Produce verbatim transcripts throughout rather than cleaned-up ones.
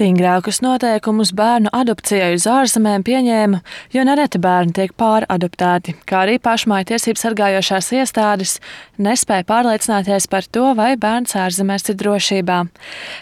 Stingrākus noteikumus bērnu adopcijai uz ārzemēm pieņēma, jo nereti bērni tiek pāradoptēti, kā arī pašmāju tiesību sargājošās iestādes nespēja pārliecināties par to, vai bērns ārzemēs ir drošībā.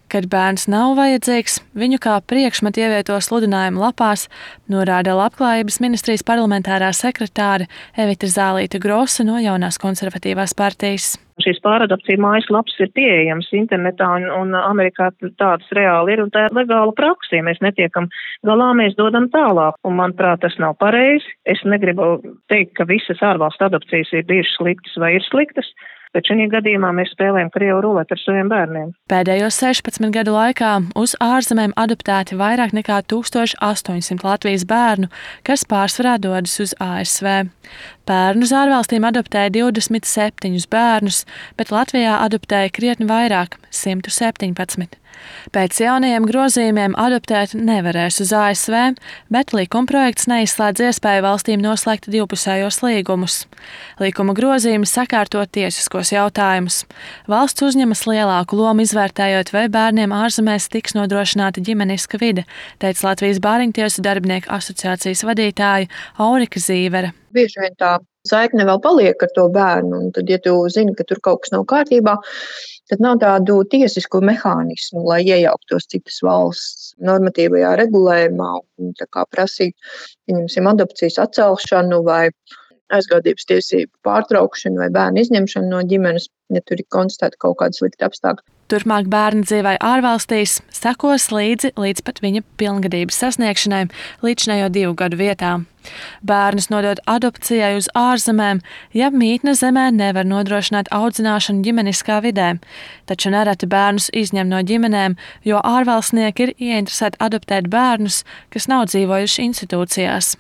Kad bērns nav vajadzīgs, viņu kā priekšmetu ievieto sludinājumu lapās, norāda Labklājības ministrijas parlamentārā sekretāre Evita Zālīte Grosa no Jaunās konservatīvās partijas. Šīs pāradopcija mājaslapas ir pieejamas internetā, un, un Amerikā tādas reāli ir, un tā ir legāla praksa. Ja mēs netiekam galā, mēs dodam tālāk, un manuprāt, tas nav pareizi. Es negribu teikt, ka visas ārvalstu adopcijas ir bijušas sliktas vai ir sliktas, bet šajā gadījumā mēs spēlējam krievu ruleti ar saviem bērniem. Pēdējos sešpadsmit gadu laikā uz ārzemēm adoptēti vairāk nekā tūkstoš astoņsimt Latvijas bērnu, kas pārsvarā dodas uz A S V. Pērnu uz ārvalstīm adoptēja divdesmit septiņus bērnus, bet Latvijā adoptēja krietni vairāk – simt septiņpadsmit. Pēc jaunajiem grozījumiem adoptēt nevarēs uz A S V, bet likumprojekts neizslēdz iespēju valstīm noslēgt divpusējos līgumus. Likuma grozījumi sakārto tiesiskos jautājumus. Valsts uzņemas lielāku lomu izvērtējot, vai bērniem ārzemēs tiks nodrošināta ģimeniska vide, teica Latvijas Bāriņtiesu darbinieku asociācijas vadītāja Aurika Zīvere. Bieži vien tā saikne vēl paliek ar to bērnu, un tad, ja tu zini, ka tur kaut kas nav kārtībā, tad nav tādu tiesisku mehānismu, lai iejauktos citas valsts normatīvajā regulējumā un tā kā prasīt, pieņemsim, adopcijas atcelšanu vai aizgādības tiesību pārtraukšanu vai bērnu izņemšanu no ģimenes, ja tur ir konstatēta kaut kāda slikta apstākļa. Turpmāk bērna dzīvē ārvalstīs sekos līdzi līdz pat viņa pilngadības sasniegšanai līdzinējo divu gadu vietā. Bērnus nodot adopcijai uz ārzemēm, ja mītne zemē nevar nodrošināt audzināšanu ģimeniskā vidē, taču nereti bērnus izņem no ģimenēm, jo ārvalstnieki ir ieinteresēti adoptēt bērnus, kas nav dzīvojuši institūcijās.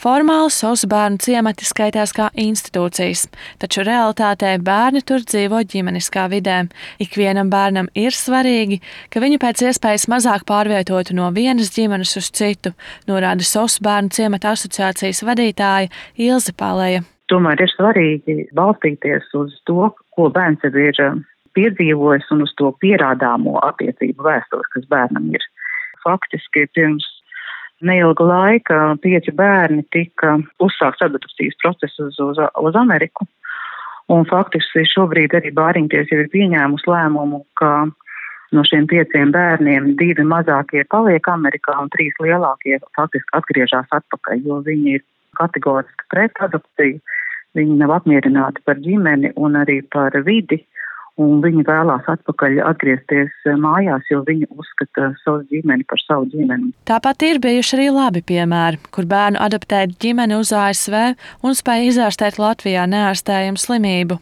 Formāli SOS bērnu ciemati skaitās kā institūcijas, taču realitātē bērni tur dzīvo ģimeniskā vidē. Ikvienam bērnam ir svarīgi, ka viņu pēc iespējas mazāk pārvietotu no vienas ģimenes uz citu, norāda SOS bērnu ciemata asociācijas vadītāja Ilze Paleja. Tomēr ir svarīgi balstīties uz to, ko bērns jau ir piedzīvojis un uz to pierādāmo attiecību vēsturi, kas bērnam ir. Faktiski pirms neilga laika pieci bērni tika uzsākts adopcijas procesus uz, uz Ameriku, un faktiski šobrīd arī Bāriņtiesa jau ir pieņēmusi lēmumu, ka no šiem pieciem bērniem divi mazākie paliek Amerikā un trīs lielākie faktiski atgriežas atpakaļ, jo viņi ir kategoriski pret adopciju, viņi nav apmierināti par ģimeni un arī par vidi. Un viņi vēlās atpakaļ atgriezties mājās, jo viņi uzskata savu ģimeni par savu ģimeni. Tāpat ir bijuši arī labi piemēri, kur bērnu adoptēt ģimeni uz A S V un spēja izārstēt Latvijā neārstējumu slimību.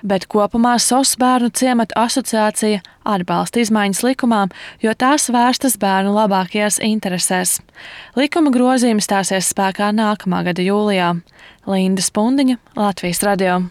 Bet kopumā SOS bērnu ciematu asociācija atbalsta izmaiņas likumā, jo tās vērstas bērnu labākajās interesēs. Likuma grozījumi stāsies spēkā nākamā gada jūlijā. Linda Spundiņa, Latvijas radio.